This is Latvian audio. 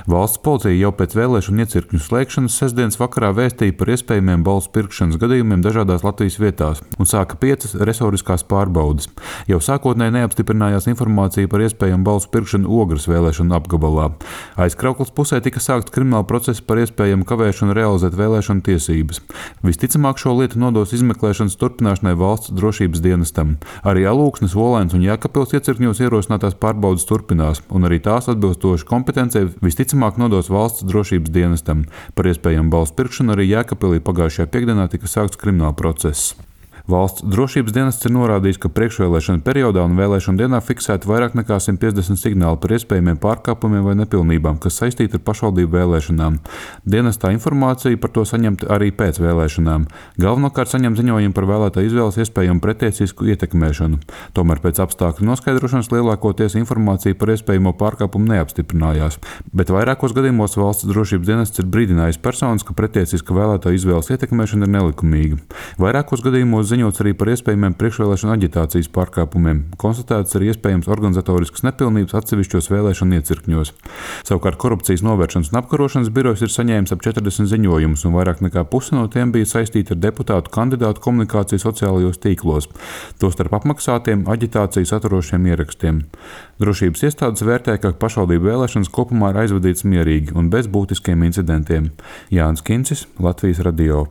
Valsts policija jau pēc vēlēšanu iecirkņu slēgšanas sestdienas vakarā vēstīja par iespējamiem balsu pirkšanas gadījumiem dažādās Latvijas vietās un sāka 5 resoriskās pārbaudes. Jau sākotnēji neapstiprinājās informācija par iespējamu balsu pirkšanu Ogres vēlēšanu apgabalā. Aizkrauklas pusē tika sākts krimināla process par iespējamu kavēšanu realizēt vēlēšanu tiesības. Visticamāk šo lietu nodos izmeklēšanas turpināšanai valsts drošības dienestam. Arī Alūksnes, Olainas un Jēkabpils iecirkņos ierosinātās pārbaudes turpinās, un arī tās atbilstoši kompetencei visticamāk nodos valsts drošības dienestam. Par iespējamu balsu pirkšanu arī Jēkabpilī pagājušajā piektdienā tika sākts krimināla process. Valsts drošības dienests ir norādījis, ka priekšvēlēšana periodā un vēlēšanu dienā fiksēti vairāk nekā 150 signāli par iespējamiem pārkāpumiem vai nepilnībām, kas saistīti ar pašvaldību vēlēšanām. Dienestā informācija par to saņemta arī pēc vēlēšanām. Galvenokārt saņem ziņojumu par vēlētāju izvēles iespējamu pretiesisku ietekmēšanu. Tomēr pēc apstākļu noskaidrošanas lielākoties informācija par iespējamo pārkāpumu neapstiprinājās, bet vairākos gadījumos valsts drošības dienests ir brīdinājis personas, ka pretiesiska vēlētāju izvēles ietekmēšana ir nelikumīga. Vairākos gadījumos ziņots arī par iespējamiem priekšvēlēšanu aģitācijas pārkāpumiem. Konstatēts arī iespējams organizatoriskas nepilnības atsevišķos vēlēšanu iecirkņos. Savukārt korupcijas novēršanas un apkarošanas birojs ir saņēmis ap 40 ziņojumus, un vairāk nekā puse no tiem bija saistīti ar deputātu kandidātu komunikāciju sociālajos tīklos, tostarp apmaksātiem aģitācijas saturošiem ierakstiem. Drošības iestādes vērtē, ka pašvaldību vēlēšanas kopumā ir aizvadītas mierīgi un bez būtiskiem incidentiem. Jānis Kincis, Latvijas radio.